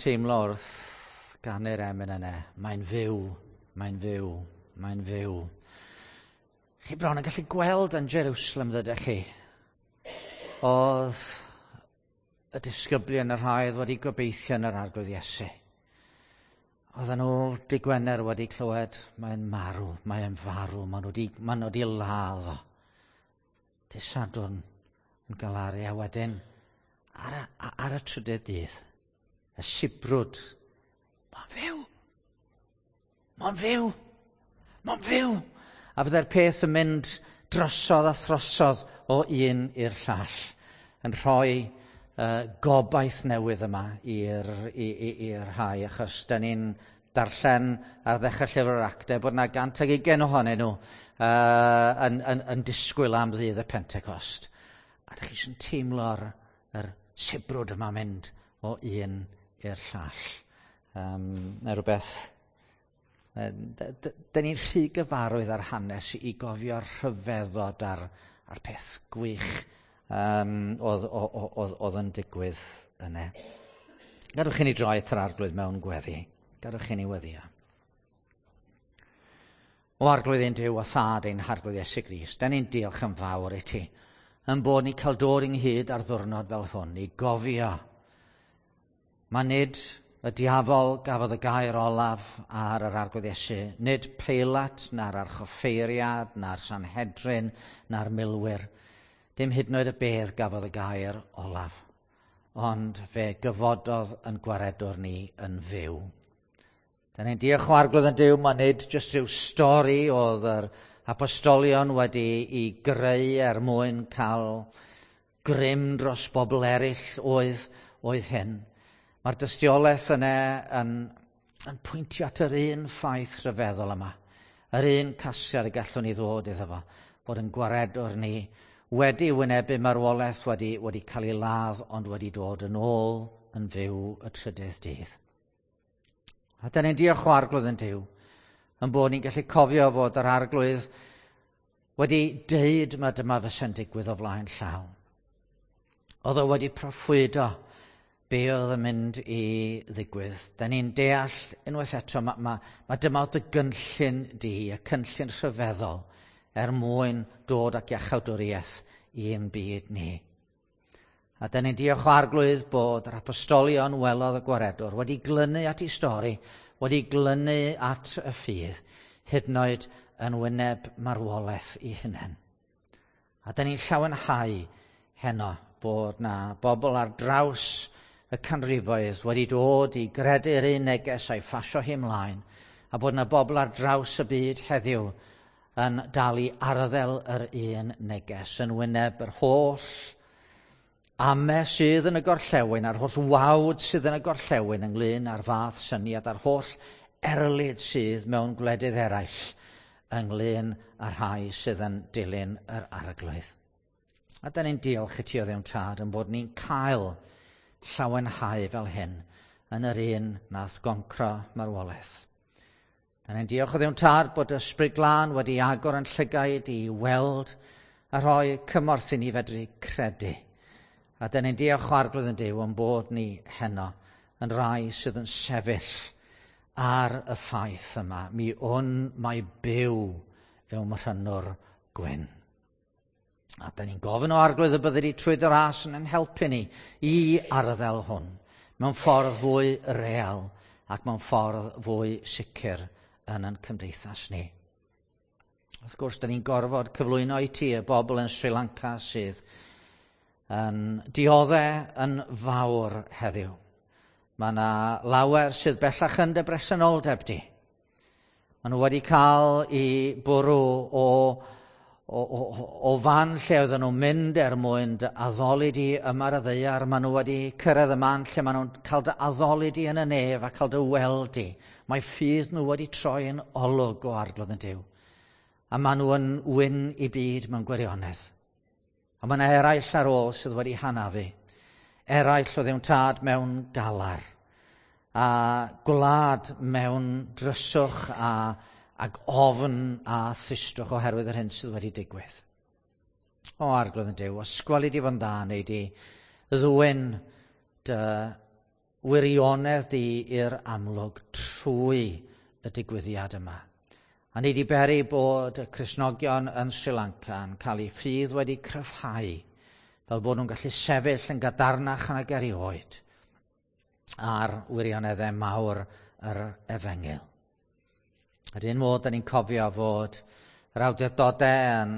Teimlo wrth ganu'r emyn yna, mae'n fyw, mae'n fyw, mae'n fyw. Chi bron yn gallu gweld yn Jerusalem, ddydych chi? Oedd y disgyblion y rhai oedd wedi gobeithio yn yr Arglwydd Iesu. Oedden nhw dy Gwener wedi clywed, mae'n marw, mae'n farw, maen nhw wedi, maen nhw wedi ladd o. Dy Sadwrn yn galaru a wedyn ar y, ar y trydydd dydd, y sibrwd, mae'n fyw! Mae'n fyw! Mae'n fyw! A fydde'r peth yn mynd drosodd a throsodd o un i'r llall, yn rhoi gobaith newydd yma i'r rhai, achos da ni'n darllen ar ddechrau llyfr yr actau bod yna 120 ohonyn nhw yn disgwyl am ddydd y Pentecost. A dych chi eisiau teimlo'r yr sibrwd yma mynd o un i'r llall. Neu rhywbeth. Dyn ni'n rhy gyfarwydd ar hanes i gofio'r rhyfeddod a'r peth gwych oedd, oedd, oedd yn digwydd yna. Gadwch i ni droi at yr Arglwydd mewn gweddi. Gadwch i ni weddio. O Arglwydd ein Duw a Thad ein Harglwydd Iesu Grist, da ni'n diolch yn fawr i ti yn bod ni cael dod ynghyd ar ddwrnod fel hwn i gofio. Mae nid y diafol gafodd y gair olaf ar yr Arglwydd Iesu, nid Peilat, na'r archoffeiriad, na'r Sanhedrin, na'r milwyr. Dim hyd yn oed y bedd gafodd y gair olaf, ond fe gyfododd yn gwaredwr ni yn fyw. Da ni'n diolch o Arglwydd yn Duw, mae nid jyst rhyw stori oedd yr apostolion wedi i greu er mwyn cael grym dros bobl eraill oedd, oedd hyn. Mae'r dystiolaeth yna yn, yn pwyntio at yr un ffaith rhyfeddol yma. Yr un casgliad y gallwn ni ddod iddo fo, bod yn gwaredwr ni wedi wynebu marwolaeth, wedi, wedi cael ei ladd, ond wedi dod yn ôl yn fyw y trydydd dydd. A da ni'n diolch o Arglwydd yn Duw, yn bod ni'n gallu cofio fod yr Arglwydd wedi deud mae dyma fysa'n digwydd o flaen llaw. Oedd o wedi proffwydo be oedd yn mynd i ddigwydd. Da ni'n deall unwaith eto, mae, ma, ma dyma oedd y gynllun di, y cynllun rhyfeddol, er mwyn dod ac iachawdwriaeth i'n byd ni. A da ni'n diolch o Arglwydd bod yr apostolion welodd y gwaredwr wedi glynu at ei stori, wedi glynu at y ffydd, hyd yn oed yn wyneb marwolaeth i hunain. A da ni'n llawenhau heno bod na bobl ar draws y canrifoedd wedi dod i gredu'r un neges a'i phasio hi ymlaen, a bod na bobl ar draws y byd heddiw yn dal i arddel yr un neges, yn wyneb yr holl ame sydd yn y gorllewin, a'r holl wawd sydd yn y gorllewin ynglyn â'r fath syniad, a'r holl erlid sydd mewn gwledydd eraill ynglyn â'r rhai sydd yn dilyn yr Arglwydd. A da ni'n diolch i ti o Dduw'n Tad yn bod ni'n cael llawenhau fel hyn yn yr un nath goncro marwolaeth. Da ni'n diolch o Dduw'n Tad bod Ysbryd Glân wedi agor yn llygaid i weld a rhoi cymorth i ni fedru credu. A da ni'n diolch o Arglwydd yn Duw yn bod ni heno yn rai sydd yn sefyll ar y ffaith yma. Mi wn mai byw yw mrhynwr gwyn. A da ni'n gofyn o Arglwydd y byddi di trwy dy ras yn ein helpu ni i arddel hwn mewn ffordd fwy real ac mewn ffordd fwy sicr yn ein cymdeithas ni. Wrth gwrs, da ni'n gorfod cyflwyno i ti y bobl yn Sri Lanka sydd yn dioddef yn fawr heddiw. Mae yna lawer sydd bellach yn dy bresenoldeb di. Maen nhw wedi cael eu bwrw o, o, o, o fan lle oedden nhw'n mynd er mwyn dy addoli di yma ar y ddaear. Maen nhw wedi cyrraedd y man lle maen nhw'n cael dy addoli di yn y nef a cael dy weld di. Mae ffydd nhw wedi troi yn olwg o Arglwydd yn Duw. A maen nhw yn wyn i byd mewn gwirionedd. A mae yna eraill ar ôl sydd wedi hanafu. Eraill o Dduw'n Tad mewn galar. A gwlad mewn dryswch a, ac ofn a thristwch oherwydd yr hyn sydd wedi digwydd. O Arglwydd yn Duw, os gweli di fo'n dda, neu di ddwyn dy wirionedd di i'r amlwg trwy y digwyddiad yma. A ni 'di beri bod y Cristnogion yn Sri Lanka yn cael eu ffydd wedi cryfhau, fel bod nhw'n gallu sefyll yn gadarnach nag erioed ar wirioneddau mawr yr efengyl. Yr un modd, da ni'n cofio fod yr awdurdodau yn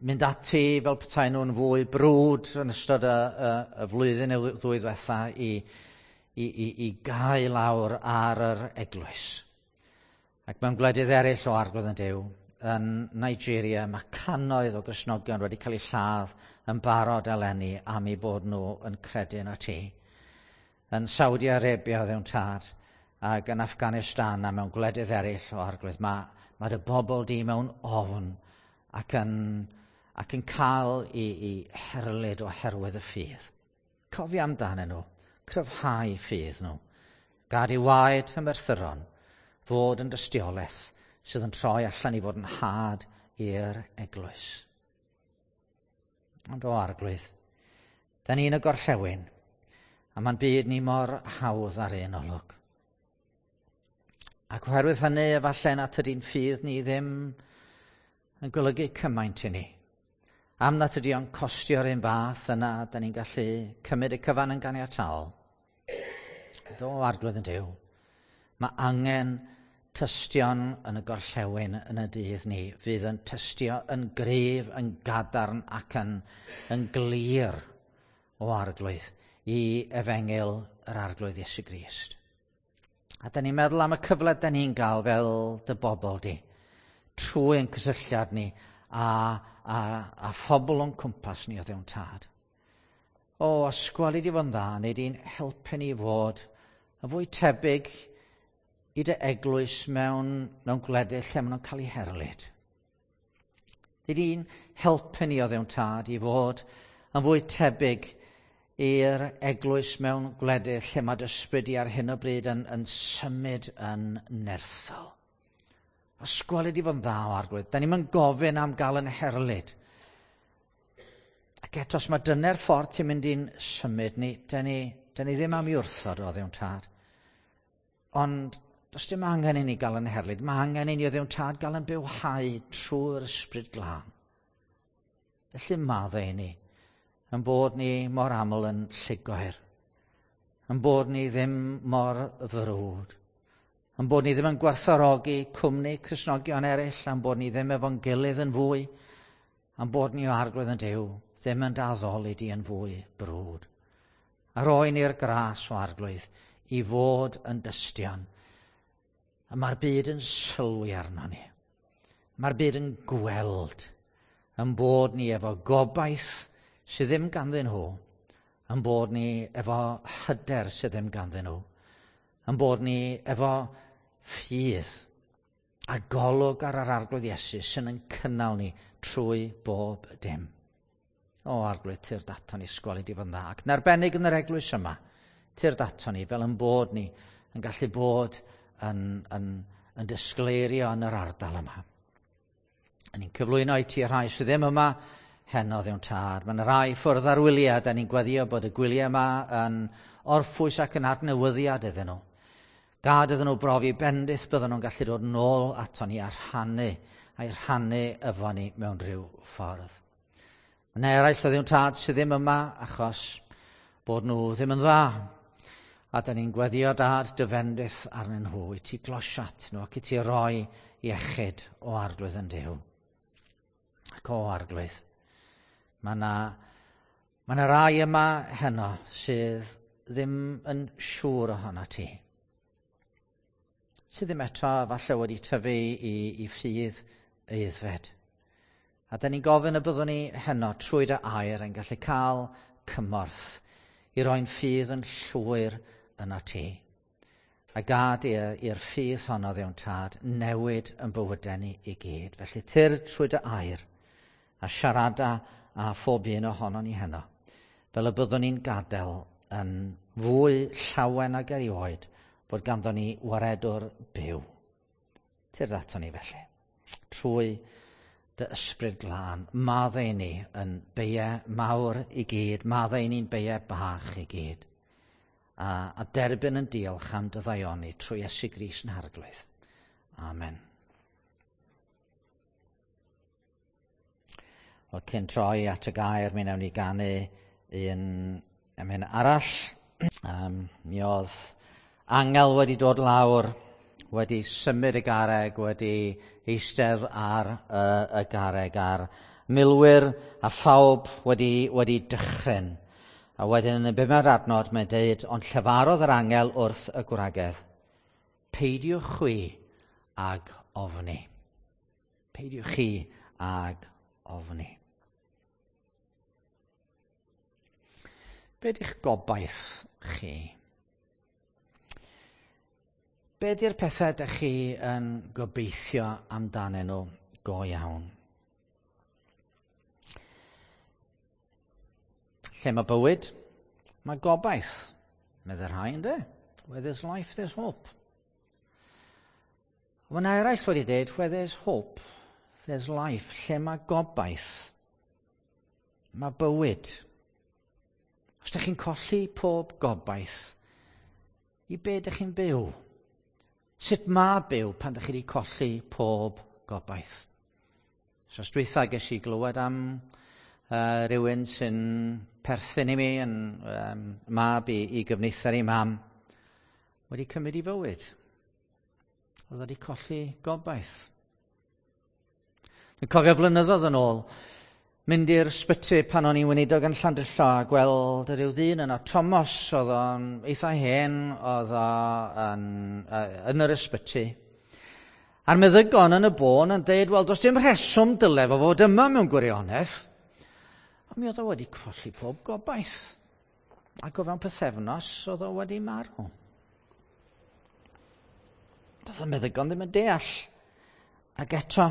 mynd ati fel petai nhw'n fwy brwd yn ystod y flwyddyn neu ddwy ddwetha i gau lawr ar yr eglwys. Ac mewn gwledydd eraill o Arglwydd yn Duw, yn Nigeria, mae cannoedd o Gristnogion wedi cael eu lladd yn barod eleni am eu bod nhw yn credu yn y ti. Yn Saudi Arabia, Dduw Tad, ac yn Afghanistan a mewn gwledydd eraill o Arglwydd, mae dy bobl di mewn ofn ac yn cael i herlid oherwydd y ffydd. Cofio amdanyn nhw, cryfhau ffydd nhw. Gad i waed y merthyron fod yn dystiolaeth sydd yn troi allan i fod yn had i'r eglwys. Ond o Arglwydd, da ni'n y gorllewin, a mae'n byd ni mor hawdd ar un olwg. Ac oherwydd hynny, efallai nad ydy'n ffydd ni ddim yn golygu cymaint i ni. Am nad ydy o'n costio'r un fath, yna da ni'n gallu cymryd y cyfan yn ganiataol. Do, Arglwydd yn Duw, mae angen tystion yn y gorllewin yn y dydd ni fydd yn tystio yn gryf, yn gadarn ac yn glir o Arglwydd i efengyl yr Arglwydd Iesu Grist. A da ni'n meddwl am y cyfle da ni'n gael fel dy bobl di, trwy ein cysylltiad ni a phobl o'n cwmpas ni o Dduw Tad. O, os gweli di fo'n dda, neu di'n helpu ni fod yn fwy tebyg i dy eglwys mewn gwledydd lle maen nhw'n cael eu herlid. Nei di'n helpu ni o Dduw Tad i fod yn fwy tebyg i'r eglwys mewn gwledydd lle mae dy ysbryd di ar hyn o bryd yn symud yn nerthol. Os gweli di fo'n dda o Arglwydd, da ni'n gofyn am gael yn herlid. Ac eto, os mae dyna'r ffordd ti'n mynd i'n symud ni, da ni ddim am i wrthod o Dduw Tad. Ond does dim angen i ni gael yn herlid. Mae angen i ni o Dduw Tad gael yn bywhau trwy'r Ysbryd Glân. Felly maddau i ni yn bod ni mor aml yn llugoer, yn bod ni ddim mor frwd, yn bod ni ddim yn gwerthfawrogi cwmni Cristnogion eraill, am bod ni ddim efo'n gilydd yn fwy, am bod ni o Arglwydd yn Duw, ddim yn d'addoli di yn fwy brwd. A roi ni'r gras o Arglwydd i fod yn dystion. A mae'r byd yn sylwi arno ni. Mae'r byd yn gweld yn bod ni efo gobaith sydd ddim ganddyn nhw, yn bod ni efo hyder sydd ddim ganddyn nhw, yn bod ni efo ffydd a golwg ar yr Arglwydd Iesu sy'n yn cynnal ni trwy bob dim. O Arglwydd, tyrd ato ni, os gweli di fo'n dda. Ac yn arbennig yn yr eglwys yma, tyrd ato ni fel yn bod ni yn gallu bod yn disgleirio yn yr ardal yma. A ni'n cyflwyno i ti y rhai sydd ddim yma heno, Dduw Tad. Mae yna rai ffwrdd ar wyliau, da ni'n gweddio bod y gwyliau yma yn orffwys ac yn adnewyddiad iddyn nhw. Gad iddyn nhw brofi bendith bydden nhw'n gallu dod nôl ato ni a rhannu, a'i rhannu efo ni mewn rhyw ffordd. Yna eraill o Dduw Tad sydd ddim yma achos bod nhw ddim yn dda. A da ni'n gweddio, Dad, dy fendith arnyn nhw i ti glosio at nhw ac i ti roi iechyd o Arglwydd yn Duw. Ac o Arglwydd, mae 'na rai yma heno sydd ddim yn siŵr ohono ti. Sydd ddim eto falle wedi tyfu i ffydd aeddfed. A da ni'n gofyn y byddwn ni heno trwy dy air yn gallu cael cymorth i roi'n ffydd yn llwyr yno ti. A gad i'r ffydd honno, Dduw Tad, newid yn bywydau ni i gyd. Felly tyrd trwy dy air a siarada a phob un ohono ni heno. Fel y byddwn ni'n gadael yn fwy llawen ag erioed bod ganddo ni waredwr byw. Tyrd ato ni felly. Trwy dy Ysbryd Glân, maddau ni yn beiau mawr i gyd, maddau ni'n beiau bach i gyd. a derbyn yn diolch am dy ddaioni trwy Iesu Grist yn Harglwydd. Amen. Wel, cyn troi at y gair, mi wnawn ni ganu un emyn arall. Mi oedd angel wedi dod lawr, wedi symud y garreg, wedi eistedd ar y garreg, a'r milwyr a phawb wedi dychryn. A wedyn yn y bumed adnod mae'n deud, ond llefarodd yr angel wrth y gwragedd, peidiwch chwi ag ofni. Peidiwch chi ag ofni. Be di'ch gobaith chi? Be di'r pethau ydych chi yn gobeithio amdanyn nhw go iawn? Lle mae bywyd, mae gobaith. Meddai'r rhai, ynddo? Where there's life, there's hope. Mae yna eraill wedi dweud, where there's hope, there's life. Lle mae gobaith, mae bywyd. Os ydych chi'n colli pob gobaith, i be ydych chi'n byw? Sut mae byw pan ydych chi wedi colli pob gobaith? So, os dwytha ges i glywed am rhywun sy'n perthyn i mi, yn mab i gyfneithr i mam, wedi cymryd i fywyd. Oedd wedi colli gobaith. Dwi'n cofio flynyddoedd yn ôl, mynd i'r sbyty pan o'n i'n weinidog yn Llandrillo a gweld rhyw ddyn yno, Thomas, oedd o'n eitha hen, oedd o'n yn yr ysbyty. A'r meddygon yn y bôn yn deud, wel, does dim rheswm dyle fo fod yma mewn gwirionedd. Ond mi oedd o wedi colli pob gobaith. Ac o fewn pythefnos, oedd o wedi marw. Doedd y meddygon ddim yn deall. Ac eto,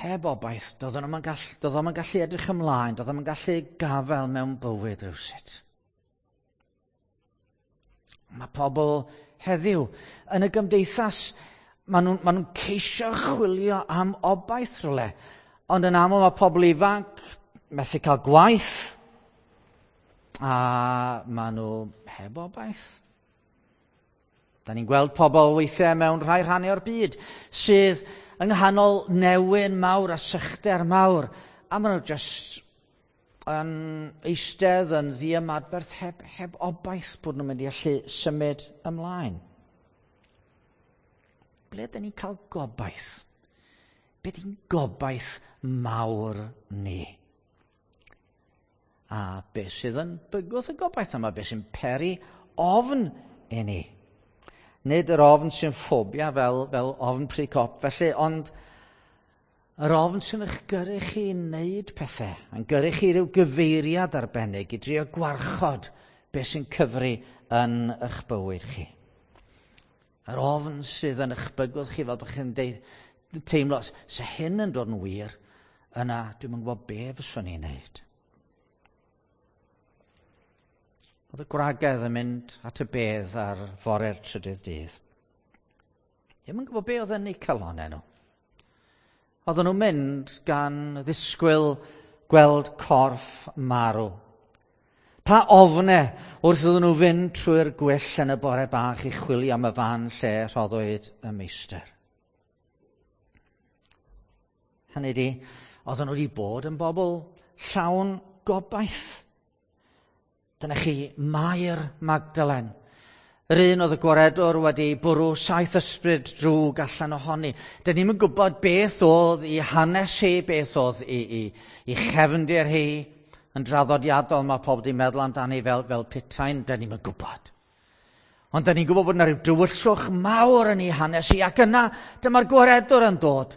heb obaith, doedd o'n gallu edrych ymlaen, doedd o'n gallu gafael mewn bywyd rhywsut. Mae pobl heddiw yn y gymdeithas, maen nhw'n ceisio chwilio am obaith rhywle. Ond yn aml mae pobl ifanc methu cael gwaith, a maen nhw heb obaith. Da ni'n gweld pobl weithiau mewn rhai rhannau o'r byd sydd yng nghanol newyn mawr a sychder mawr, a maen nhw jyst yn eistedd yn ddiymadferth heb obaith bod nhw'n mynd i allu symud ymlaen. Ble ydyn ni'n cael gobaith? Be di'n gobaith mawr ni? A be sydd yn bygwth y gobaith yma? Be sy'n peri ofn i ni? Nid yr ofn sy'n ffobia fel ofn pry cop, felly, ond yr ofn sy'n eich gyrru chi i wneud pethau, yn gyrru chi ryw gyfeiriad arbennig i drio gwarchod beth sy'n cyfri yn eich bywyd chi. Yr ofn sydd yn eich bygwth chi fel bod chi'n teimlo, se hyn yn dod yn wir, yna dwi'm yn gwybod be fyswn i'n wneud. Oedd y gwragedd yn mynd at y bedd ar fore'r trydydd dydd. Ddim yn gwybod be oedd yn eu calonnau nhw. Oedden nhw'n mynd gan ddisgwyl gweld corff marw. Pa ofne wrth iddyn nhw fynd trwy'r gwyll yn y bore bach i chwilio am y fan lle rhoddwyd y meistr. Hynny di, oedden nhw wedi bod yn bobl llawn gobaith. Dyna chi Mair Magdalen. Yr un oedd y gwaredwr wedi bwrw 7 ysbryd drwg allan ohoni. Dyn ni'm yn gwybod beth oedd i hanes hi, beth oedd i chefndir hi. Yn draddodiadol mae pobl wedi meddwl amdani fel putain, dyn ni'm yn gwybod. Ond dyn ni'n gwybod bod yna rhyw dywyllwch mawr yn ei hanes hi, ac yna dyma'r gwaredwr yn dod.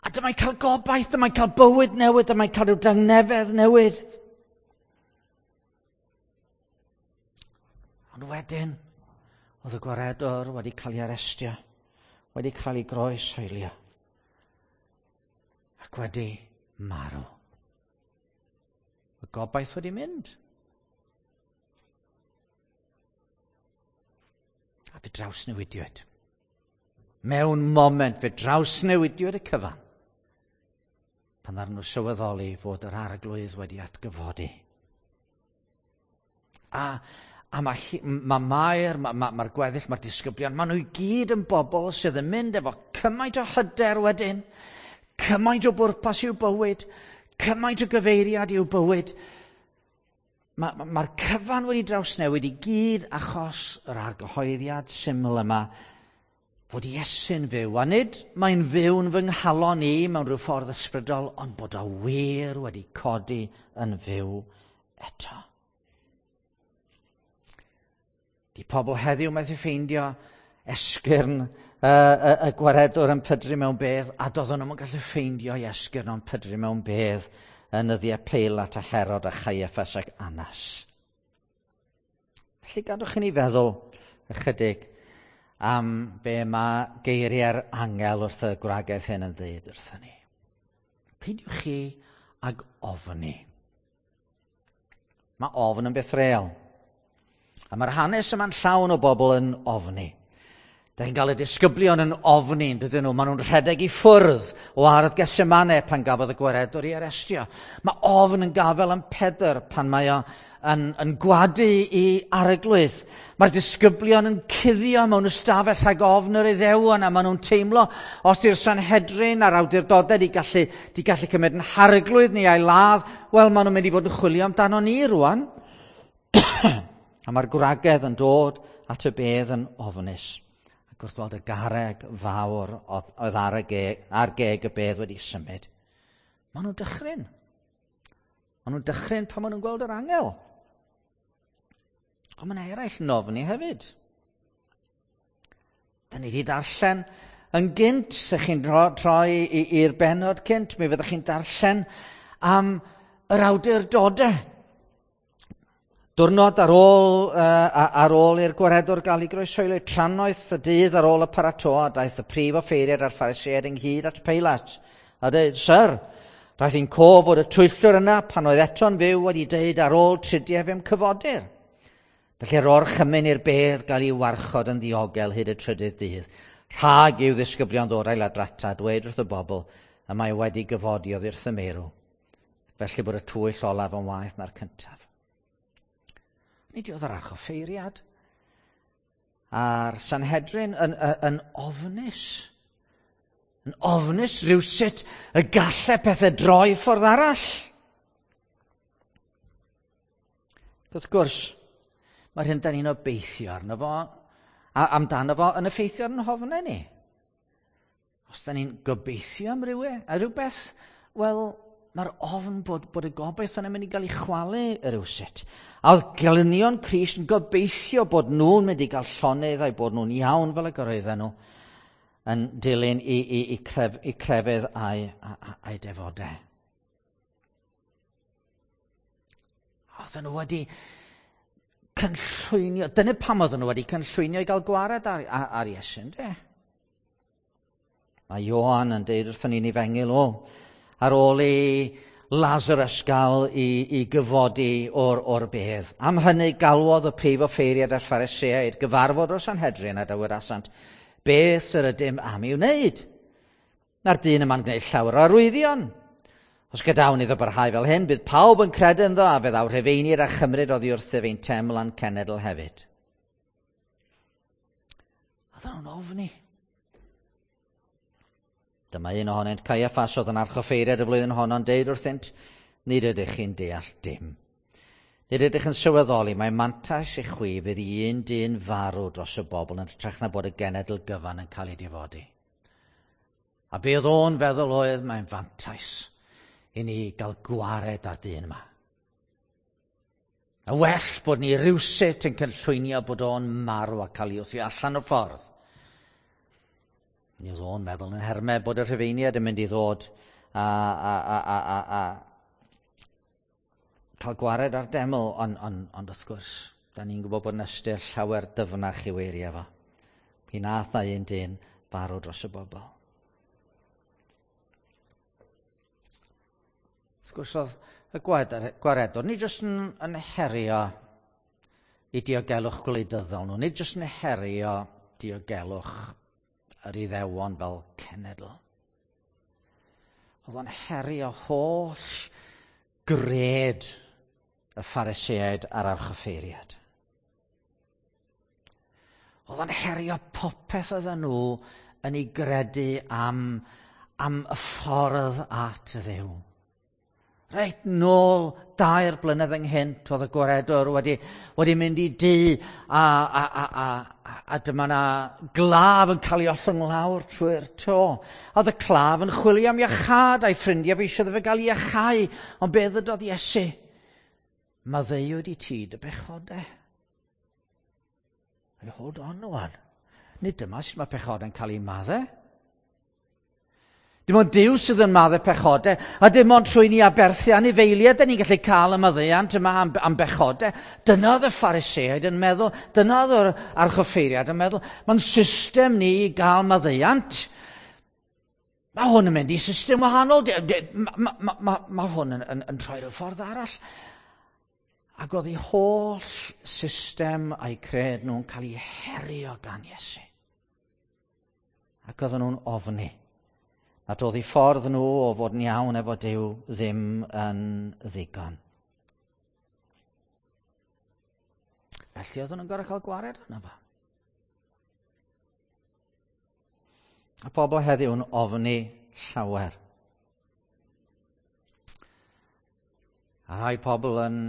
A dyma'n cael gobaith, dyma'n cael bywyd newydd, dyma'n cael rhyw dangnefedd newydd. Ond wedyn, oedd y gwaredwr wedi cael ei arestio, wedi cael ei groeshoelio, ac wedi marw. Y gobaith wedi mynd. A fe drawsnewidiwyd. Mewn moment, fe drawsnewidiwyd y cyfan. Pan ddaru nhw sylweddoli fod yr arglwydd wedi atgyfodi. A mae, mae Mair, mae'r ma, ma gweddill, mae'r disgyblion, maen nhw i gyd yn bobl sydd yn mynd efo cymaint o hyder wedyn, cymaint o bwrpas i'w bywyd, cymaint o gyfeiriad i'w bywyd. Mae'r ma, ma cyfan wedi drawsnewid i gyd achos yr argyhoeddiad syml yma fod Iesu'n fyw. A nid mae'n fyw'n fy nghalon i mewn rhyw ffordd ysbrydol, ond bod o wir wedi codi yn fyw eto. Di pobl heddiw methu ffeindio esgyrn y, y gwaredwr yn pydru mewn bedd, a doedden nhw'n gallu ffeindio i esgyrn o'n pydru mewn bedd yn nyddiau Peilat a Herod a Chaiaffas ac Annas. Felly gadwch i ni feddwl ychydig am be mae geiriau'r angel wrth y gwragedd hyn yn dweud wrthyn ni. Peidiwch chi ag ofni. Mae ofn yn beth real. A mae'r hanes yma'n llawn o bobl yn ofni. Da chi'n cael y disgyblion yn ofni, yn dydyn nhw? Maen nhw'n rhedeg i ffwrdd o ardd Getsemane pan gafodd y gwaredwr ei arestio. Mae ofn yn gafel yn Pedr pan mae o yn, yn gwadu i arglwydd. Mae'r disgyblion yn cuddio mewn ystafell rhag ofn yr Iddewon a maen nhw'n teimlo os di'r Sanhedrin a'r awdurdodau di gallu, di gallu cymryd yn harglwydd ni a'i ladd, wel maen nhw'n mynd i fod yn chwilio amdano ni rwan. A mae'r gwragedd yn dod at y bedd yn ofnus. Ac wrth weld y garreg fawr oedd ar, y ge, ar geg y bedd wedi symud, maen nhw'n dychryn. Maen nhw'n dychryn pan maen nhw'n gweld yr angel. Ond mae'n eraill yn ofni hefyd. Da ni wedi darllen yn gynt, ych chi'n troi i'r benod cynt, mi fyddwch chi'n darllen am yr awdurdodau. Diwrnod ar ôl, uh, ar ôl i'r gwaredwr gael ei groeshoelio, trannoeth y dydd ar ôl y paratoa, daeth y prif offeiriad a'r Phariseaid ynghyd at Peilat. A dweud, Syr, daeth i'n cof fod y twyllwr yna pan oedd eto'n fyw wedi dweud ar ôl tridiau fe'm cyfodir. Felly yr orchymyn i'r bedd gael ei warchod yn ddiogel hyd y trydydd dydd. Rhag i'w ddisgyblion ddod a'i ladrata, dweud wrth y bobl y mae wedi gyfodi oddi wrth y meirw. Felly bod y twyll olaf yn waeth na'r cyntaf. Nid oedd yr archoffeiriad a'r Sanhedrin yn, yn, yn ofnus. Yn ofnus rhywsut y gallai pethau droi ffordd arall. Wrth gwrs, mae'r hyn da ni'n obeithio arno fo, a amdano fo yn effeithio ar yn hofnau ni. Os da ni'n gobeithio am rhywbeth, a rhywbeth, wel, mae'r ofn bod, bod y gobaith yna'n mynd i gael ei chwalu rywsut. A oedd gelynion Crist yn gobeithio bod nhw'n mynd i gael llonydd a'i bod nhw'n iawn fel y gyroedden nhw yn dilyn i, i, i, cref, i crefydd a'i, a'i defodau. Oedden nhw wedi cynllwynio, dyna pam oedden nhw wedi cynllwynio i gael gwared ar, ar, ar Iesu, ynddo? Mae Ioan yn deud wrthon ni'n efengyl o, ar ôl i Lazarus gael i, i gyfodi o'r, or bedd. Am hynny galwodd y prif offeiriad a'r Phariseaid gyfarfod o'r Sanhedrin a dywedasant, beth yr ydym am i'w wneud? Na'r dyn yma'n gwneud llawer o arwyddion. Os gadawn iddo barhau fel hyn, bydd pawb yn credu ynddo a fe ddaw Rhufeiniaid a chymryd oddi wrthyf ein teml a'n cenedl hefyd. Oedden nhw'n ofni. Dyma un ohonynt, Caiaffas oedd yn archoffeiriad y flwyddyn honno'n deud wrthynt, nid ydych chi'n deall dim. Nid ydych yn sylweddoli, mae mantais i chwi fydd i un dyn farw dros y bobl yn hytrach na bod y genedl gyfan yn cael ei difodi. A be oedd o'n feddwl oedd mae'n fantais i ni gael gwared ar dyn yma. A well bod ni rywsut yn cynllwynio bod o'n marw a cael ei wthio allan o'r ffordd. Mi oedd o'n meddwl yn hermau bod y Rhufeiniaid yn mynd i ddod a, a, a, a, a, a cael gwared ar deml, ond on, on, wrth gwrs, da ni'n gwybod bod yn ystyr llawer dyfnach i'w eiriau fo. Mi nath na un dyn farw dros y bobl. Wrth gwrs oedd y gwaredwr, nid jyst yn, yn herio i diogelwch gwleidyddol nhw, nid jyst yn herio diogelwch yr Iddewon fel cenedl. Oedd o'n herio holl gred y Phariseaid a'r archoffeiriad. Oedd o'n herio popeth oedden nhw yn ei gredu am, am y ffordd at y Dduw. Reit nôl 2 blynedd ynghynt oedd y gwaredwr wedi, wedi mynd i dŷ a, a, a, a, a dyma na glaf yn cael ei ollwng lawr trwy'r to. A oedd y claf yn chwilio am iachâd a'i ffrindiau fe eisiau iddo fe gael ei iachau. Ond be ddydodd Iesu? Maddeuwyd i ti dy bechodau. Hold on wan. Nid dyma sut mae pechodau'n cael ei maddau. Dim ond Duw sydd yn maddau pechodau, a dim ond trwy ni aberthu anifeiliaid da ni'n gallu cael y maddeuant yma am, am bechodau. Dyna oedd y Phariseaid yn meddwl, dyna oedd yr archoffeiriad yn meddwl, mae'n system ni i gael maddeuant. Mae hwn yn mynd i system wahanol, mae ma, ma, ma hwn yn, yn, yn troi rhyw ffordd arall. Ac oedd ei holl system a'i cred nhw'n cael ei herio gan Iesu. Ac oedden nhw'n ofni. Nad oedd eu ffordd nhw o fod yn iawn efo Duw ddim yn ddigon. Felly oedden nhw'n gorfod cael gwared arno fo. A pobl heddiw'n ofni llawer. A rhai pobl yn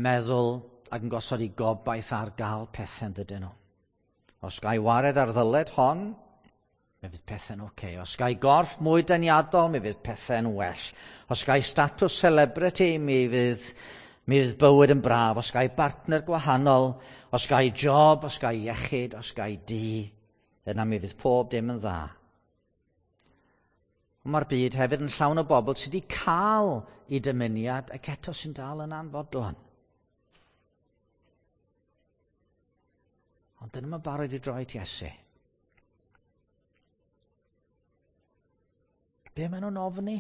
meddwl ac yn gosod eu gobaith ar gael pethau dydyn nhw. Os gai wared ar ddyled hon, mi fydd pethau'n oce. Okay. Os gai gorff mwy deniadol, mi fydd pethau'n well. Os gai statws celebrity, mi fydd, mi fydd bywyd yn braf. Os gai bartner gwahanol, os gai job, os gai iechyd, os gai dŷ, yna mi fydd pob dim yn dda. Ond mae'r byd hefyd yn llawn o bobl sydd wedi cael eu dymuniad ac eto sy'n dal yn anfodlon. Ond dyn nhw'n barod i droi at Iesu. Be maen nhw'n ofni?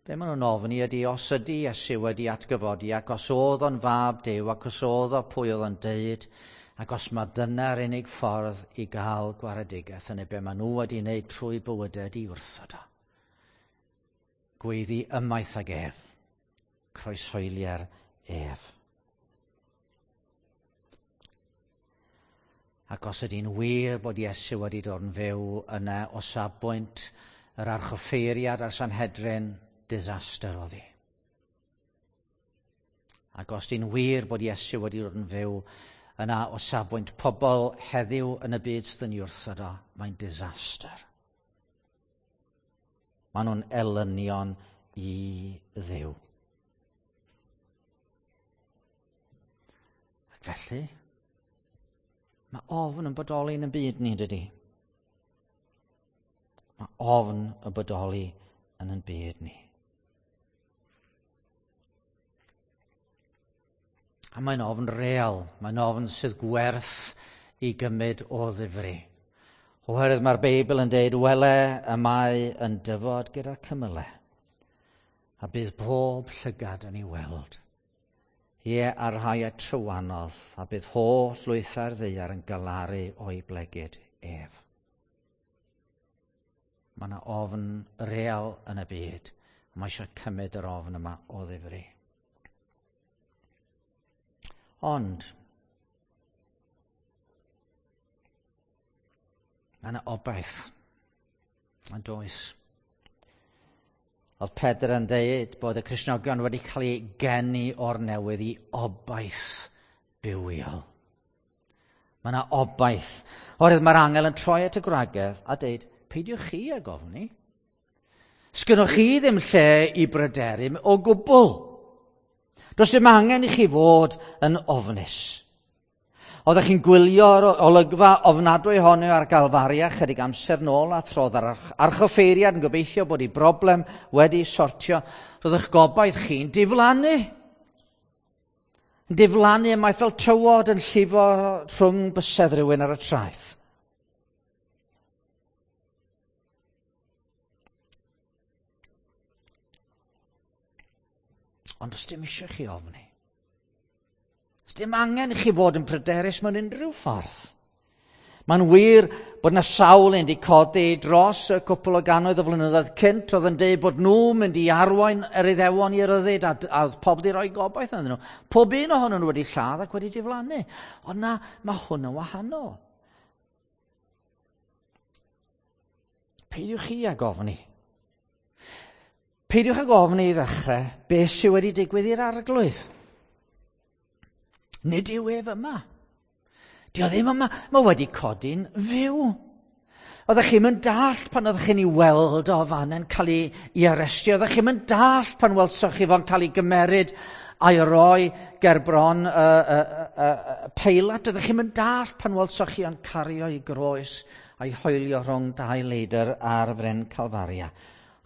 Be maen nhw'n ofni ydy os ydy Iesu wedi atgyfodi ac os oedd o'n fab Duw ac os oedd o pwy oedd o'n deud ac os mae dyna'r unig ffordd i gael gwaredigaeth yna be maen nhw wedi wneud trwy bywydau ydy wrthod o. Gweiddi ymaith ag ef. Croeshoelier ef. Ac os ydy'n wir bod Iesu wedi dod yn fyw yna o safbwynt yr archoffeiriad a'r Sanhedrin, disaster oedd hi. Ac os ydy'n wir bod Iesu wedi dod yn fyw yna o safbwynt pobl heddiw yn y byd sydd yn ei wrthod o, mae'n disaster. Maen nhw'n elynion i Dduw. Ac felly, mae ofn yn bodoli yn y byd ni, dydy. Mae ofn yn bodoli yn ein byd ni. A mae'n ofn real, mae'n ofn sydd gwerth i gymryd o ddifri. Oherwydd mae'r Beibl yn deud, wele y mae yn dyfod gyda'r cymylau, a bydd pob llygad yn ei weld. Ie, a'r rhai a trywanodd, a bydd holl lwythau'r ddaear yn galaru o'i blegid ef. Mae yna ofn real yn y byd, a mae eisiau cymryd yr ofn yma o ddifri. Ond, mae yna obaith, yn does. Oedd Pedr yn dweud bod y Cristnogion wedi cael eu geni o'r newydd i obaith bywiol. Mae yna obaith. Oherwydd mae'r angel yn troi at y gwragedd a dweud, peidiwch chi ag ofni. Sgynnwch chi ddim lle i bryderu o gwbl. Does dim angen i chi fod yn ofnus. Oeddech chi'n gwylio'r olygfa ofnadwy honno ar Galfaria chydig amser nôl a throdd ar archoffeiriad yn gobeithio bod ei broblem wedi sortio. Roedd eich gobaith chi'n diflannu. Yn diflannu ymaith fel tywod yn llifo rhwng bysedd rhywun ar y traeth. Ond does dim eisiau chi ofni. Does dim angen i chi fod yn pryderus mewn unrhyw ffordd. Mae'n wir bod yna sawl un wedi codi dros y cwpl o gannoedd o flynyddoedd cynt oedd yn dweud bod nhw'n mynd i arwain yr Iddewon i ryddid a oedd pob wedi rhoi gobaith ynddyn nhw. Pob un ohonyn nhw wedi lladd ac wedi diflannu. Ond na, mae hwn yn wahanol. Peidiwch chi ag ofni. Peidiwch ag ofni i ddechrau beth sydd wedi digwydd i'r arglwydd. Nid yw ef yma. Dio ddim yma. Mae wedi codi'n fyw. Oeddech chi'm yn dallt pan oeddech chi'n ei weld o fan yn cael ei arestio. Oeddech chi'm yn dallt pan welsoch chi fo'n cael ei gymeryd a'i roi ger bron y Peilat. Oeddech chi'm yn dallt pan welsoch chi o'n cario ei groes a'i hoelio rhwng dau leidr ar fryn Calfaria.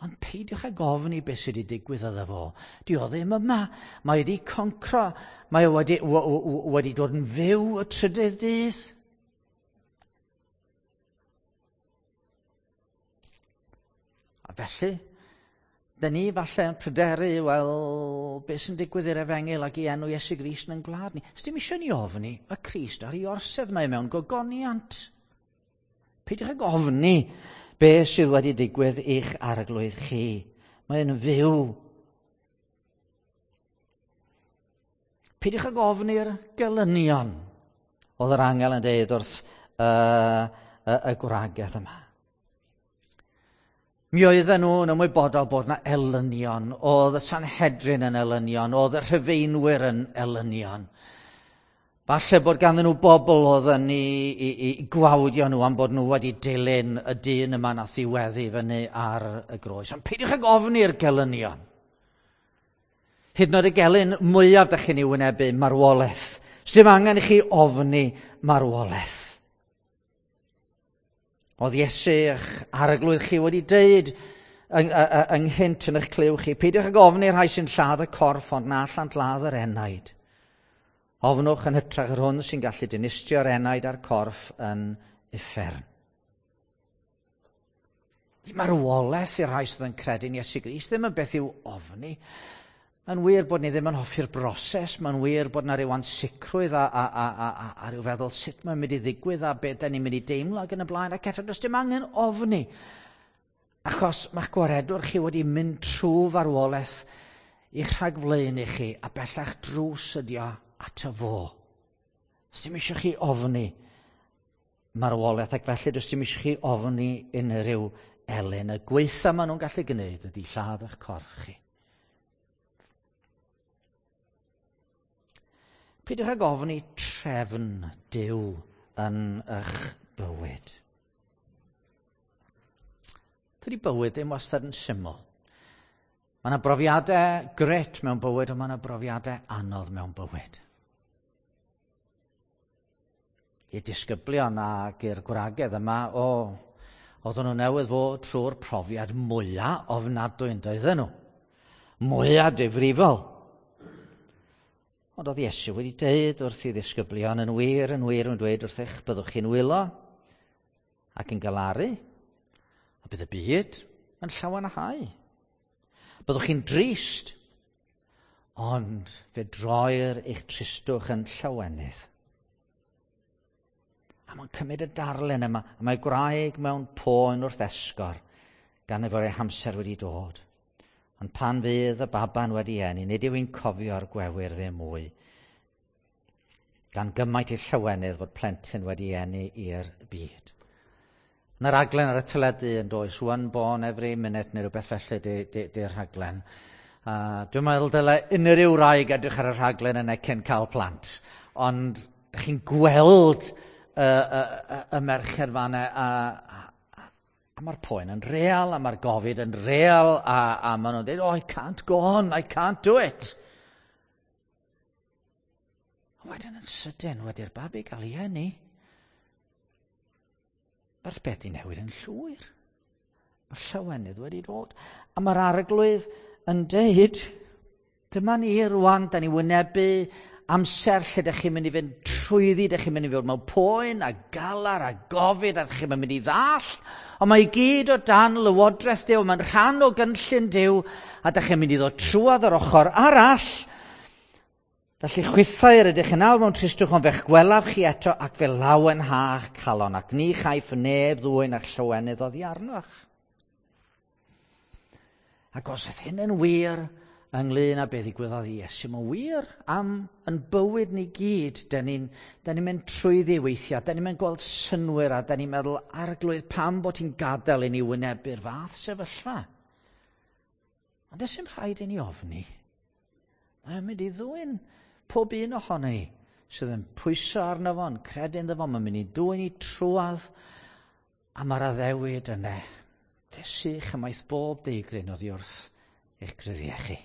Ond peidiwch ag ofni beth sydd wedi digwydd iddo fo. Di o ddim yma. Mae wedi concro. Mae o wedi dod yn fyw y trydydd dydd. A felly, dyn ni falle yn pryderu, wel, beth sy'n digwydd i'r efengyl ac i enw Iesu Grist yn gwlad ni. Sdim eisiau ni ofni, mae Crist ar ei orsedd, mae mewn gogoniant. Peidiwch ag ofni beth sydd wedi digwydd i'ch arglwydd chi. Mae'n fyw. Peidiwch ag ofni'r gelynion, oedd yr angel yn dweud wrth y gwragedd yma. Mi oedden nhw'n ymwybodol bod yna elynion, oedd y Sanhedrin yn elynion, oedd y Rhufeinwyr yn elynion. Falle bod ganddyn nhw bobl oedd yn i gwawdio nhw am bod nhw wedi dilyn y dyn yma nath i weddu fyny ar y groes. Ond peidiwch ag ofni'r gelynion. Hyd yn oed y gelyn mwyaf dych chi'n ei wynebu, marwolaeth. Sdim angen i chi ofni marwolaeth. Oedd Iesu eich arglwydd chi wedi deud ynghynt yn eich clyw chi, peidiwch ag ofni'r rhai sy'n lladd y corff, ond na allant ladd yr enaid. Ofnwch yn hytrach yr hwn sy'n gallu dinistrio'r enaid a'r corff yn uffern. Marwolaeth i'r rhai sydd yn credu'n Iesu Grist ddim yn beth i'w ofni. Mae'n wir bod ni ddim yn hoffi'r broses, mae'n wir bod yna ryw ansicrwydd a ryw feddwl sut mae'n mynd i ddigwydd a beth da ni'n mynd i deimlo ac yn y blaen, ac eto does dim angen ofni. Achos mae'ch gwaredwr chi wedi mynd trwy farwolaeth i'ch rhagflaen i chi, a bellach drws ydi o ato fo. Does dim eisiau chi ofni marwolaeth, ac felly does dim eisiau chi ofni unrhyw elyn. Y gwaetha maen nhw'n gallu gwneud ydy lladd eich corff chi. Peidiwch ag ofni trefn Duw yn eich bywyd. Dydy bywyd ddim wastad yn syml. Mae yna brofiadau gret mewn bywyd, ond mae yna brofiadau anodd mewn bywyd. I'r disgyblion ac i'r gwragedd yma, oedden nhw newydd fod trwy'r profiad mwyaf ofnadwy yn doedden nhw. Mwyaf difrifol. Ond oedd Iesu wedi deud wrth i ddisgyblion, yn wir, yn wir, yn dweud wrthych, byddwch chi'n wylo ac yn galaru, a bydd y byd yn llawenhau. Byddwch chi'n drist, ond fe droir eich tristwch yn llawenydd. A mae'n cymryd y darlun yma, a mae gwraig mewn poen wrth esgor, gan ei fod ei hamser wedi dod. Ond pan fydd y baban wedi eni, nid yw'n cofio'r gwewyr ddim mwy, gan gymaint i'r llawenydd fod plentyn wedi eni i'r byd. Yna raglen ar y teledu yn does, One Born Every Minute neu rhywbeth felly di'r rhaglen. Dwi'n meddwl dyle unrhyw wraig edrych ar y rhaglen yna cyn cael plant. Ond chi'n gweld y merched fan'na a mae'r poen yn real, a mae'r gofid yn real, a maen nhw'n dweud, oh, I can't go on, I can't do it. A wedyn yn sydyn, wedi'r babi gael ei eni, mae'r beth i newid yn llwyr. Mae'r llawenydd wedi dod. A mae'r arglwydd yn deud, dyma ni rwan, da ni wynebu amser lle dych chi'n mynd i fynd trwyddi, dych chi'n mynd i fod mewn poen a galar a gofid, a dych chi'n mynd i ddall. Ond mae i gyd o dan lywodraeth Duw, mae'n rhan o gynllun Duw, a dych chi'n mynd i ddod trwodd yr ochr arall. Felly chwithau yr ydych yn awr mewn tristwch, ond fe'ch gwelaf chi eto ac fe lawenha'ch calon, ac ni chaiff neb ddwyn a'ch llawenydd oddi arnoch. Ac os oedd hyn yn wir ynglyn â beth ddigwyddodd i Iesu, mae'n wir am yn bywyd ni gyd. Da ni'n ni mynd trwyddi weithiau, da ni'n mynd gweld synwyr a da ni'n meddwl, Arglwydd, pam bod ti'n gadael i ni wynebu'r fath sefyllfa? Ond does dim rhaid i ni ofni. Mae'n mynd i ddwyn pob un ohono ni sydd yn pwyso arno fo, yn credu ynddo fo, mae'n mynd i dwyn i trwadd, a mae'r addewid yna. Fe sych ymaith bob deigryn oddi wrth eich gryddiau chi.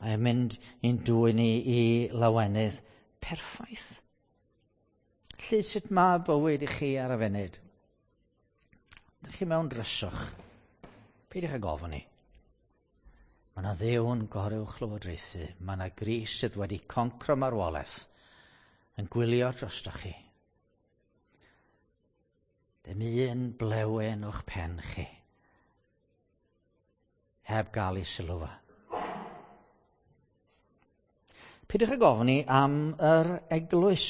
Mae'n mynd i'n dwyn ni i lawenydd perffaith. Lly sut mae bywyd i chi ar y funud? Ydych chi mewn dryswch? Peidiwch ag ofni. Mae yna Dduw yn goruwch lywodraethu. Mae yna Grist sydd wedi concro marwolaeth yn gwylio drostoch chi. Dim un blewyn o'ch pen chi heb gael ei sylw fo. Peidiwch ag ofni am yr eglwys.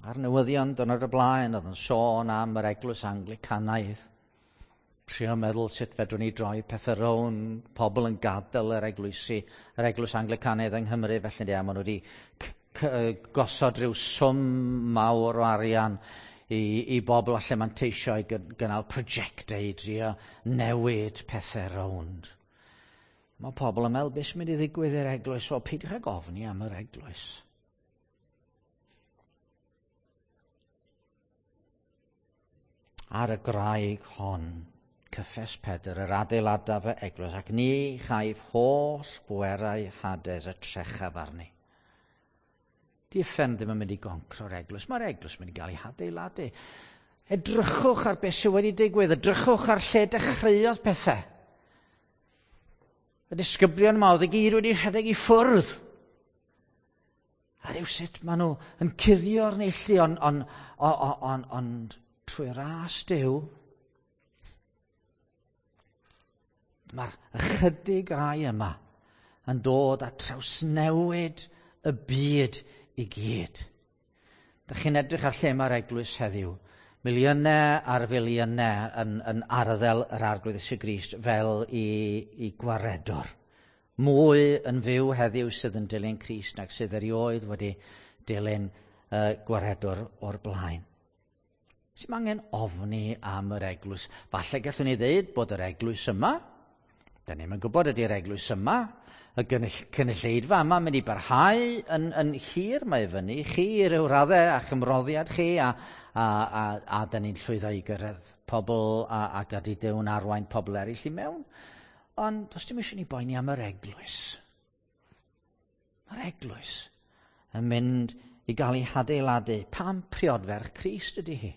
A'r newyddion dwrnod y blaen oedd yn sôn am yr eglwys Anglicanaidd. Trio meddwl sut fedrwn ni droi pethau rownd, pobl yn gadael yr eglwysi, yr eglwys Anglicanaidd yng Nghymru, felly a maen nhw wedi gosod rhyw swm mawr o arian i bobl allan manteisio i gynnal prosiectau i drio newid pethau rownd. Mae pobl yn meddwl, beth sy'n mynd i ddigwydd i'r eglwys? Wel, peidiwch ag ofni am yr eglwys. Ar y graig hon, cyffes Pedr, yr adeiladaf y eglwys, ac ni chaiff holl bwerau Hades y trechaf arni. Di uffern ddim yn mynd i goncro'r eglwys. Mae'r eglwys yn mynd i gael ei hadeiladu. Edrychwch ar beth sydd wedi digwydd. Edrychwch ar lle dechreuodd pethau. Y disgyblion yma oedd i gyd wedi rhedeg i ffwrdd. A rhywsut maen nhw yn cuddio'r neilltu, ond trwy ras Duw, mae'r ychydig rai yma yn dod a trawsnewid y byd i gyd. Dych chi'n edrych ar lle mae'r eglwys heddiw. Miliynau ar filiynau yn arddel yr Arglwydd Iesu Grist fel i gwaredwr. Mwy yn fyw heddiw sydd yn dilyn Crist nag sydd erioed wedi dilyn gwaredwr o'r blaen. Sy'n angen ofni am yr eglwys. Falle gallwn ni ddeud bod yr eglwys yma, da ni'm yn gwybod ydy'r eglwys yma, y cynulleidfa yma mynd i barhau yn hir, mae fyny chi i ryw raddau a chymroddiad chi a da ni'n llwyddo i gyrraedd pobl a gadi Duw'n arwain pobl eraill i mewn. Ond does dim eisiau ni boeni am yr eglwys. Mae'r eglwys yn mynd i gael ei hadeiladu. Pam priodferch Crist ydy hi?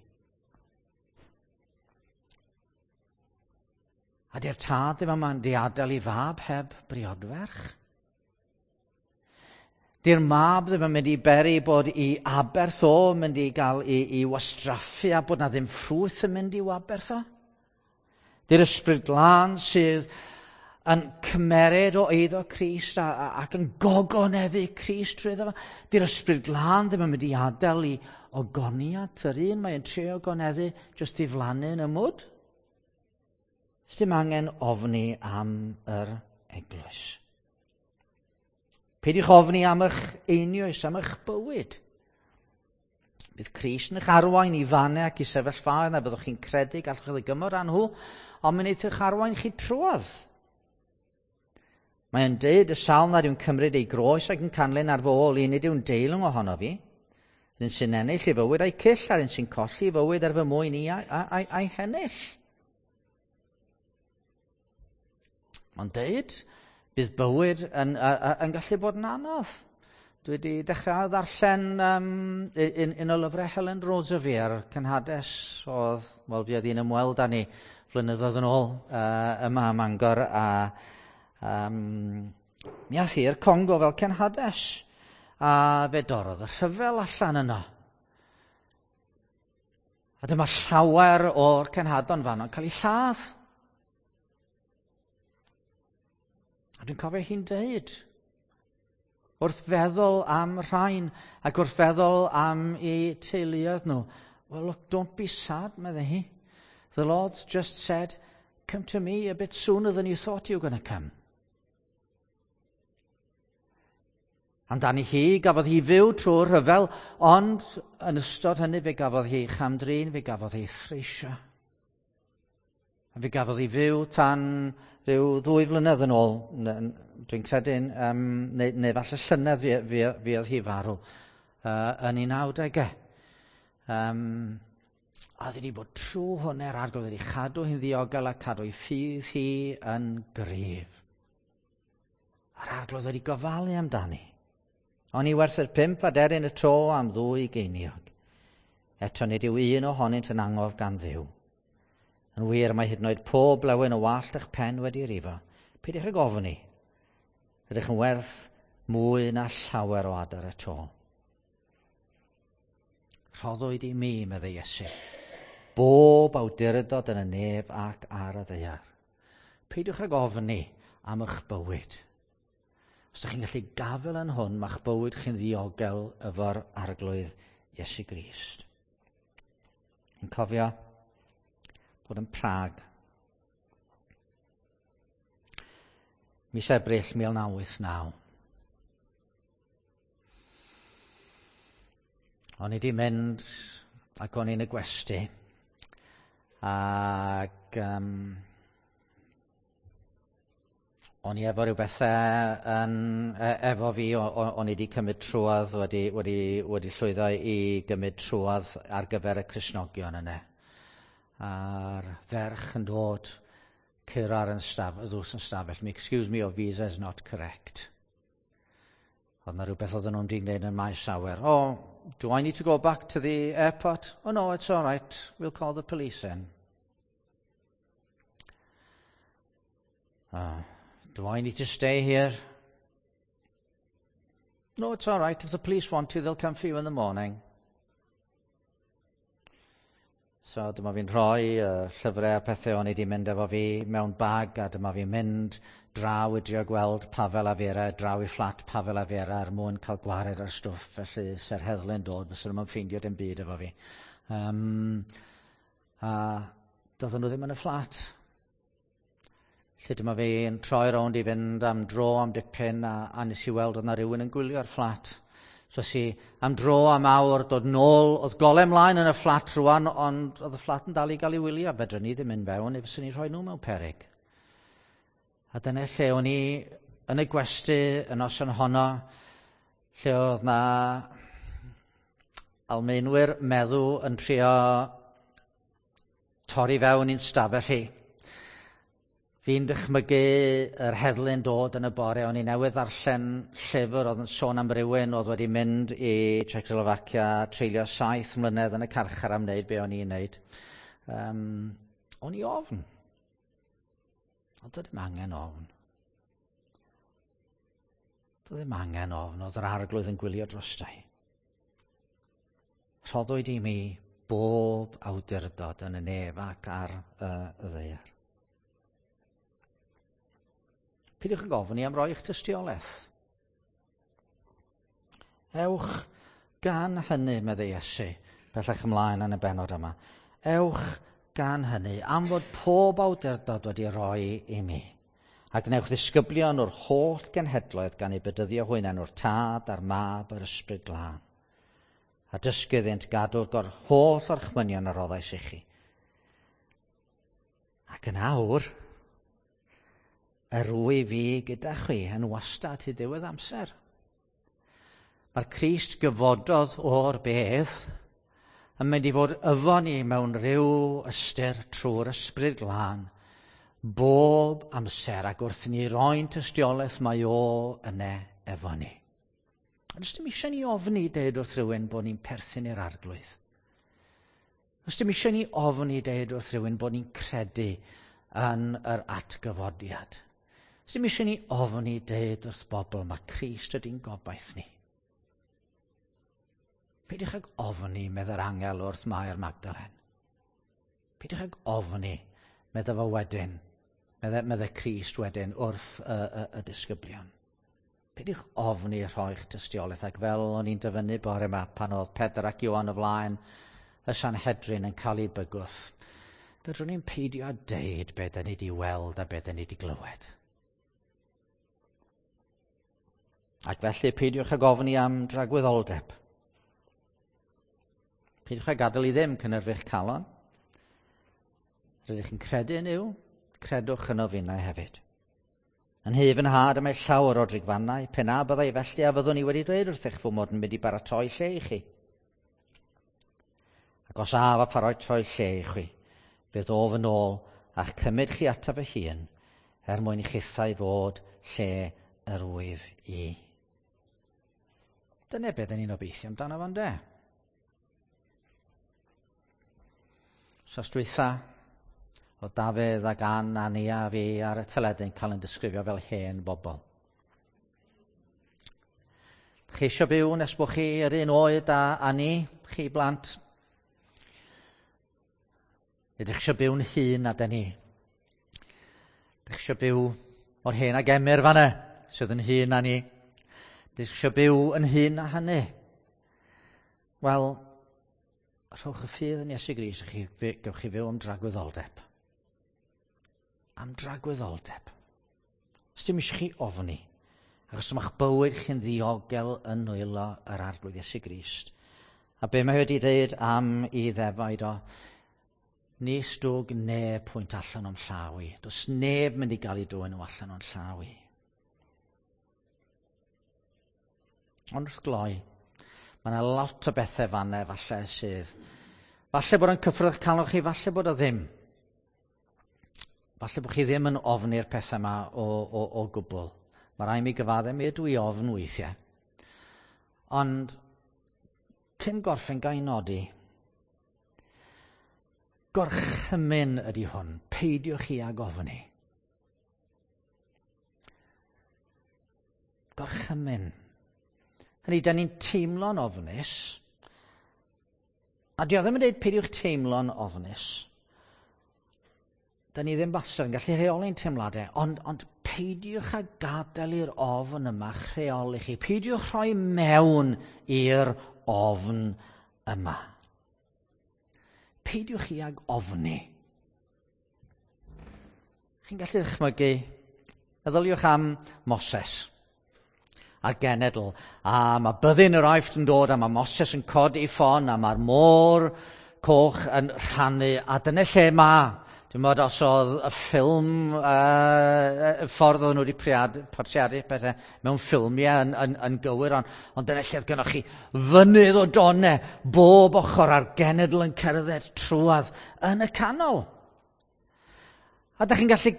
A di'r tad ddim yma'n diadael i fab heb briodferch? Di'r mab ddim yn mynd i beri bod i aberth o yn mynd i gael i wastraffu a bod na ddim ffrwyth yn mynd i'w aberth o? Di'r Ysbryd Glân sydd yn cymeryd o eiddo Crist ac yn gogoneddu Crist trwy iddo fo. Di'r Ysbryd Glân ddim yn mynd i adael i ogoniad yr un mae'n trio ogoneddu jyst ddiflannu yn y mwd. Sdim angen ofni am yr eglwys. Peidiwch ofni am eich einioes, am eich bywyd. Bydd Crist yn eich arwain i fannau ac i sefyllfaoedd na fyddwch chi'n credu gallwch chi ddygymod â nhw, ond mae'n eich arwain chi trwodd. Mae'n deud y sawl nad yw'n cymryd ei groes ac yn canlyn ar fy ôl i, nid yw'n deilwng ohono fi. Yr un sy'n ennill ei fywyd a'i cyll, a'r un sy'n colli ei fywyd ar fy mwyn i a'i hennill. Mae'n deud, bydd bywyd yn gallu bod yn anodd. Dwi wedi dechrau ddarllen un o lyfrau Helen Roseveare ar cenhades oedd, wel, fuodd hi'n ymweld â ni flynyddoedd yn ôl yma ym Mangor, a mi ath hi i'r Congo fel cenhades, a fe dorrodd y rhyfel allan yno. A dyma llawer o'r cenhadon fanno'n cael eu lladd. A dwi'n cofio hi'n deud, Wrth feddwl am rhain ac wrth feddwl am eu teuluoedd nhw. "Well, look, don't be sad," meddai hi. "The Lord's just said, 'Come to me a bit sooner than you thought you were going to come.'" Amdani hi, gafodd hi fyw trwy'r rhyfel, ond yn ystod hynny fe gafodd hi chamdrin, fe gafodd hi threisio. A fe gafodd hi fyw tan rhyw 2 flynedd yn ôl, dwi'n credu, neu falle llynedd fi oedd hi farw, yn ei 90au. A oedd wedi bod trwy hwnna'r Arglwydd wedi chadw hi'n ddiogel a cadw ei ffydd hi yn gryf. A'r Arglwydd wedi gofalu amdani. Oni werthir 5 aderyn y to am 2 geiniog? Eto nid yw un ohonynt yn angof gan Dduw. Yn wir, mae hyd yn oed pob blewyn o wallt eich pen wedi rifo. Peidiwch ag ofni. Rydych yn werth mwy na llawer o adar y to. "Rhoddwyd i mi," meddai Iesu, "bob awdurdod yn y nef ac ar y ddaear." Peidiwch ag ofni am eich bywyd. Os ydych chi'n gallu gafel yn hwn, mae'ch bywyd chi'n ddiogel efo'r Arglwydd Iesu Grist. Yn cofio bod yn Prag. Mis Ebrill 1989. O'n i wedi mynd ac o'n i'n y gwesty ac o'n i efo rhyw bethau yn, efo fi, o'n i wedi cymryd trwodd, wedi llwyddo i gymryd trwodd ar gyfer y Cristnogion yna. A'r ferch yn dod, curo ar yn staf, y ddws yn stafell, "Excuse me, your visa is not correct." Oedd yna rhywbeth oedden nhw'n wedi gwneud yn maes awyr. "Oh, do I need to go back to the airport?" "Oh no, it's all right. We'll call the police in." "Oh, do I need to stay here?" "No, it's all right. If the police want to, they'll come for you in the morning." So dyma fi'n rhoi llyfrau a pethau o'n i wedi mynd efo fi mewn bag a dyma fi'n mynd draw i drio gweld Pavel a Vera, draw i fflat Pavel a Vera er mwyn cael gwared ar stwff, felly se'r heddlu'n dod, fysa nhw'n ffeindio dim byd efo fi. A doedden nhw ddim yn y fflat. Lle dyma fi yn troi rownd i fynd am dro am dipyn a nes i weld oedd yna rhywun yn gwylio'r fflat. So es i am dro am awr, dod nôl, oedd golau mlaen yn y fflat rwan, ond oedd y fflat yn dal i gael ei wylio. Fedrwn ni ddim mynd fewn, neu fyswn ni rhoi nhw mewn peryg. A dyna lle o'n i yn y gwesty y noson honno, lle oedd na Almaenwyr meddw yn trio torri fewn i'n stafell i. Fi'n dychmygu yr heddlu'n dod yn y bore. O'n i newydd ddarllen llyfr oedd yn sôn am rywun oedd wedi mynd i Czechoslovakia, treulio 7 mlynedd yn y carchar am wneud be o'n i'n wneud. O'n i ofn. Ond doedd ddim angen ofn. Doedd ddim angen ofn, oedd yr Arglwydd yn gwylio drostai. "Rhoddwyd i mi bob awdurdod yn y nef ac ar y ddaear." Peidiwch yn gofyn i am roi eich tystiolaeth. "Ewch gan hynny," meddai Iesu, bellach ymlaen yn y benod yma. "Ewch gan hynny, am fod pob awdurdod wedi rhoi i mi. A gwnewch ddisgyblion o'r holl genhedloedd gan eu bedyddio hwy yn enw'r Tad a'r Mab a'r Ysbryd Glân. A dysgu iddynt gadw'r holl orchmynion a roddais i chi. Ac yn awr, yr wyf fi gyda chwi yn wastad hyd ddiwedd amser." Mae'r Crist gyfododd o'r bedd yn mynd i fod efo ni mewn rhyw ystyr trwy'r Ysbryd Glân bob amser ac wrth ni roi'n tystiolaeth mae o yne efo ni. Ond dim eisiau ni ofni deud wrth rhywun bod ni'n perthyn i'r Arglwydd. Os dim eisiau ni ofni deud wrth rhywun bod ni'n credu yn yr atgyfodiad. Dim eisiau ni ofni deud wrth bobl mae Crist ydy'n gobaith ni. "Peidiwch ag ofni," meddai'r angel wrth Mair Magdalen. "Peidiwch ag ofni," meddai fo wedyn. Meddai Crist wedyn wrth y disgyblion. Peidiwch ofni rhoi'ch tystiolaeth, ac fel o'n i'n dyfynnu bore yma pan oedd Pedr ac Ioan o flaen y Sanhedrin yn cael ei bygwth, fedrwn ni'n peidio â deud be da ni wedi weld a be da ni wedi glywed. Ac felly peidiwch ag ofni am dragwyddoldeb. Peidiwch â gadael i ddim cynhyrfu'ch calon. Rydych chi'n credu yn yw, credwch yno finnau hefyd. Yn hy fy nhad y mae llawer o drigfannau, pe na byddai felly a fyddwn i wedi dweud wrthych fy mod yn mynd i baratoi lle i chi. Ac os af a pharatoi lle i chi, fe ddof yn ôl a'ch cymryd chi ataf fy hun, er mwyn i chithau fod lle yr wyf i. Dyna beth ni'n obeithio amdano fo'n de. Wsos dwytha, o Dafydd ac Ann a Nia a fi ar y teledu'n cael yn disgrifio fel hen bobl. Chi eisiau byw nes bod chi yr un oed â, a ni, chi blant? Ydych chi eisiau byw'n hŷn na dyn ni? Ydych chi eisiau byw mor hen ag Emyr fanna, sydd yn hŷn na ni? Ydych chi eisiau byw yn hŷn na hynny? Wel, rhowch y ffydd yn Iesu Grist a chi, gewch chi fyw am dragwyddoldeb. Am dragwyddoldeb. Os dim eisiau chi ofni, achos mae'ch bywyd chi'n ddiogel yn nwylo yr Arglwydd Iesu Grist. A be mae wedi dweud am i ddefaid o, nis dwg neb pwynt allan o'm llaw i. Does neb mynd i gael ei dwyn nhw allan o'n llaw i. Ond wrth gloi, mae yna lot o bethau fanna falle sydd... Falle bod o'n cyffwrdd calon chi, falle bod o ddim. Falle bod chi ddim yn ofni'r pethau yma o, o, o gwbl. Mae rai mi gyfaddau, mi ydw i ofn weithiau. Ond cyn gorffen gael nodi, gorchymyn ydy hwn, peidiwch chi ag ofni. Gorchymyn. Hynny, da ni'n teimlo'n ofnus, a di o ddim yn dweud peidiwch teimlo'n ofnus. Da ni ddim wastad yn gallu rheoli'n teimladau, ond, ond peidiwch â gadael i'r ofn yma rheoli chi. Peidiwch rhoi mewn i'r ofn yma. Peidiwch chi ag ofni. Chi'n gallu ddychmygu? Meddyliwch am Moses a'r genedl. A mae byddin yr Aifft yn dod a mae Moses yn codi ffon a mae'r môr coch yn rhannu. A dyna lle mae. Dwi'n meddwl os oedd y ffilm, y ffordd oedden nhw wedi portreadu pethau mewn ffilmiau yn, yn, yn gywir, ond, ond dyna lle oedd gennych chi fynydd o donau bob ochr a'r genedl yn cerdded trwadd yn y canol. A da chi'n gallu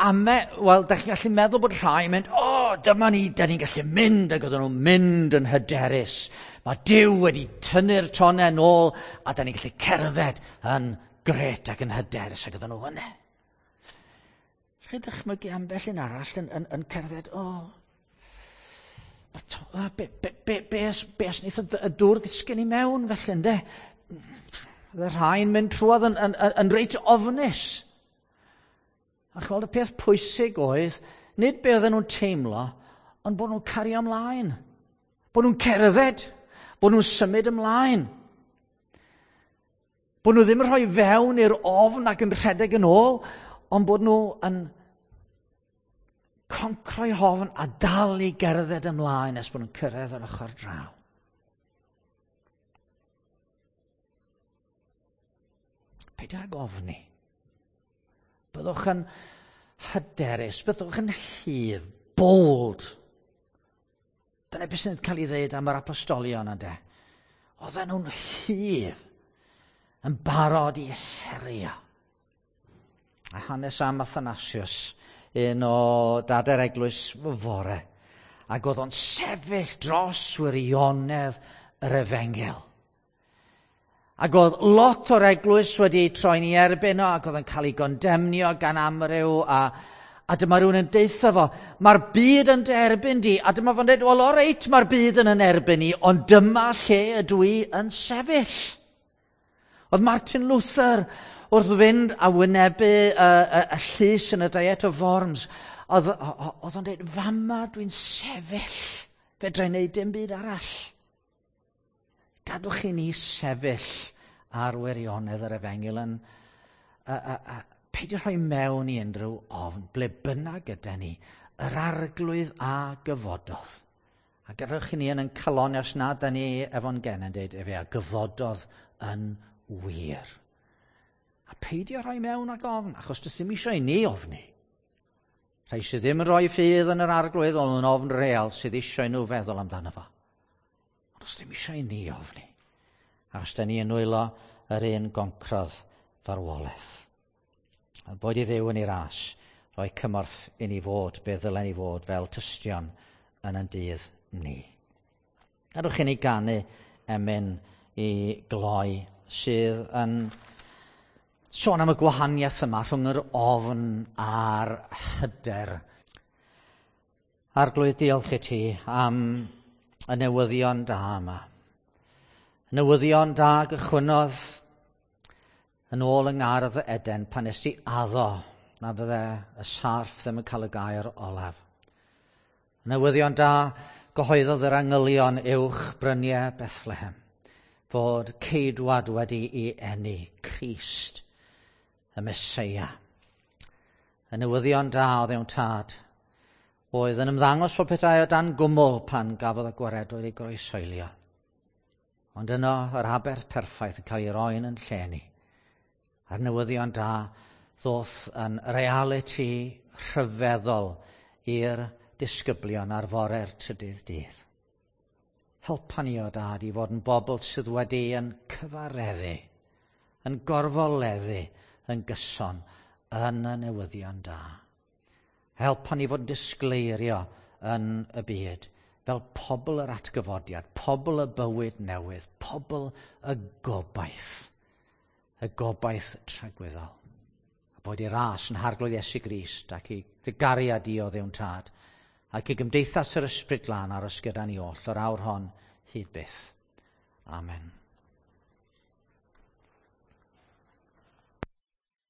ame, wel, da chi'n gallu meddwl bod rhai yn mynd, o, oh, dyma ni, da ni'n gallu mynd, ac oedden nhw'n mynd yn hyderus. Mae Duw wedi tynnu'r tonau nôl, a da ni'n gallu cerdded yn gret ac yn hyderus, ac oedden nhw yna. Chi ddychmygu ambell un arall yn, yn, yn cerdded, o, oh, be, be, be, be, os, be os wneith y dŵr ddisgyn i mewn felly, ynde? Oedd y rhai'n mynd trwodd yn, yn, yn, yn reit ofnus. A chweld y peth pwysig oedd, nid be oedden nhw'n teimlo, ond bod nhw'n cario ymlaen. Bod nhw'n cerdded. Bod nhw'n symud ymlaen. Bod nhw ddim yn rhoi fewn i'r ofn ac yn rhedeg yn ôl, ond bod nhw yn concro'i hofn a dal i gerdded ymlaen nes bod nhw'n cyrraedd yr ochr draw. Peidio ag ofni. Byddwch yn hyderus, byddwch yn hyf, bold. Dyna beth sy'n cael ei ddweud am yr apostolion ynddo. Oedden nhw'n hyf, yn barod i herio. A hanes am Athanasius, un o dadau'r eglwys fore, ac oedd o'n sefyll dros wirionedd yr efengyl. Ac oedd lot o'r eglwys wedi troi'n ei erbyn o, ac oedd yn cael ei gondemnio gan amryw, a, a dyma rhywun yn deutha fo, mae'r byd yn derbyn di, a dyma fo'n dweud, wel, o reit, mae'r byd yn yn erbyn i, ond dyma lle ydw i yn sefyll. Oedd Martin Luther wrth fynd a wynebu y, y, y llys yn y Diet of Worms, Oedd o'n dweud, fama dwi'n sefyll, fedra i wneud dim byd arall. Gadwch i ni sefyll ar wirionedd yr efengyl yn peidio rhoi mewn i unrhyw ofn, ble bynnag gyda ni, yr Arglwydd a gyfododd. A gadwch i ni yn calon os nad da ni efo'n gen yn dweud, efe a gyfododd yn wir. A peidio rhoi mewn ag ofn, achos does ddim eisiau i ni ofni. Rhai sydd ddim yn rhoi ffydd yn yr Arglwydd, ond yn ofn real sydd eisiau nhw feddwl amdano fo. Ond does ddim eisiau i ni ofni. Achos da ni yn nwylo yr un goncrodd farwolaeth. A boed i Dduw yn ei ras, rhoi cymorth i ni fod, be ddylen ni fod fel tystion yn ein dydd ni. Gadwch i ni ganu emyn i gloi sydd yn sôn am y gwahaniaeth yma rhwng yr ofn a'r hyder. Arglwydd, diolch i ti am y newyddion da yma. Newyddion da gychwynnodd yn ôl yng ngardd Eden pan nes ti addo na fydde y sarff ddim yn cael y gair olaf. Newyddion da gyhoeddodd yr angylion uwch bryniau Bethlehem fod ceidwad wedi ei eni, Crist, y Meseia. Y newyddion da oedd ewn tad, oedd yn ymddangos fel petai o dan gwmwl pan gafodd y gwaredwr ei groeshoelio. Ond yno yr aberth perffaith yn cael ei roi'n yn lle ni. A'r newyddion da ddoth yn realiti rhyfeddol i'r disgyblion ar fore'r trydydd dydd. Helpa ni o dad i fod yn bobl sydd wedi yn cyfareddu, yn gorfoleddu, yn gyson yn y newyddion da. Helpa ni fod yn disgleirio yn y byd fel pobl yr atgyfodiad, pobl y bywyd newydd, pobl y gobaith tragwyddol. A bod i ras yn Harglwydd Iesu Grist ac i dy gariad i o Dduw'n Tad ac i gymdeithas yr Ysbryd Glân aros gyda ni oll o'r awr hon hyd byth. Amen.